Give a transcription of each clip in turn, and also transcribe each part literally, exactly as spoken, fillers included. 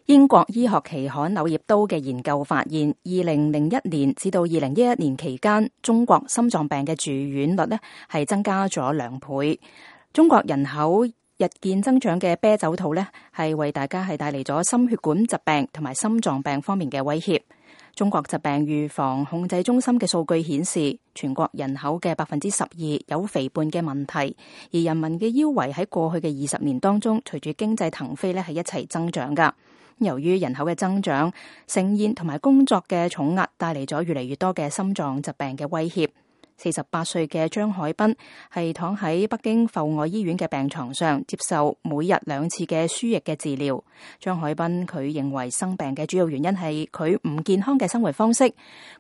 英國醫學期刊《柳葉刀》嘅研究發現，二零零一年至到二零一一年期間，中國心臟病嘅住院率呢係增加咗兩倍。中國人口日漸增長嘅啤酒肚呢，係為大家係帶嚟咗心血管疾病同埋心臟病方面嘅威脅。中國疾病預防控制中心嘅數據顯示，全國人口嘅百分之十二有肥胖嘅問題，而人民嘅腰圍喺過去嘅二十年當中，隨住經濟騰飛呢係一齊增長噶。由於人口嘅增長，盛宴同埋工作嘅重壓帶嚟咗越嚟越多嘅心臟疾病嘅威脅。四十八歲嘅張海濱係躺喺北京阜外醫院嘅病床上，接受每日兩次嘅輸液嘅治療。張海濱佢認為生病嘅主要原因係佢唔健康嘅生活方式。佢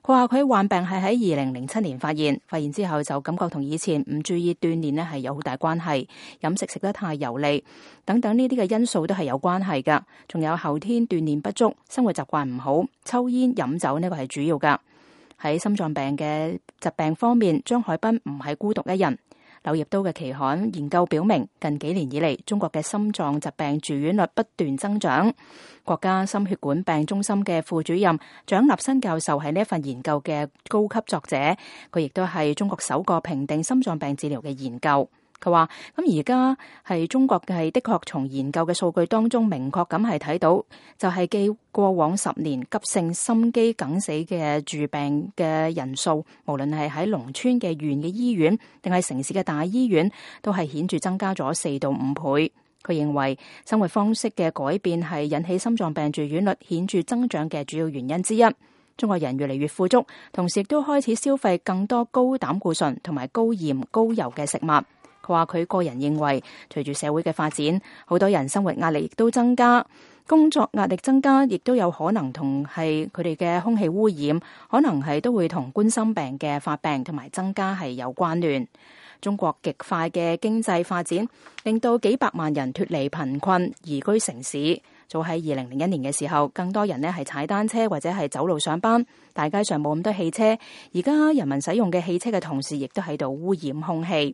話佢患病係喺二零零七年發現，發現之後就感覺同以前唔注意鍛煉呢係有好大關係，飲食食得太油膩等等呢啲嘅因素都係有關係噶。仲有後天鍛煉不足，生活習慣唔好，抽煙飲酒呢個係主要噶。喺心臟病嘅疾病方面，張海濱唔係孤獨一人。柳葉刀嘅期刊研究表明，近幾年以嚟，中國嘅心臟疾病住院率不斷增長。國家心血管病中心嘅副主任蔣立新教授係呢一份研究嘅高級作者，佢亦都係中國首個評定心臟病治療嘅研究。佢話：咁而家係中國係的確從研究嘅數據當中明確咁係睇到，就係繼過往十年急性心肌梗死嘅住病嘅人數，無論係喺農村嘅縣嘅醫院，定係城市嘅大醫院，都係顯著增加咗四到五倍。佢認為生活方式嘅改變係引起心臟病住院率顯著增長嘅主要原因之一。中國人越嚟越富足，同時亦都開始消費更多高膽固醇同埋高鹽高油嘅食物。佢話佢個人認為，隨住社會嘅發展，好多人生活壓力亦都增加，工作壓力增加，亦都有可能同係佢哋嘅空氣污染，可能係都會同冠心病嘅發病同埋增加係有關聯。中國極快嘅經濟發展，令到幾百萬人脫離貧困，移居城市。早喺二零零一年嘅時候，更多人呢係踩單車或者係走路上班，大街上冇咁多汽車。而家人民使用嘅汽車嘅同時，亦都喺度污染空氣。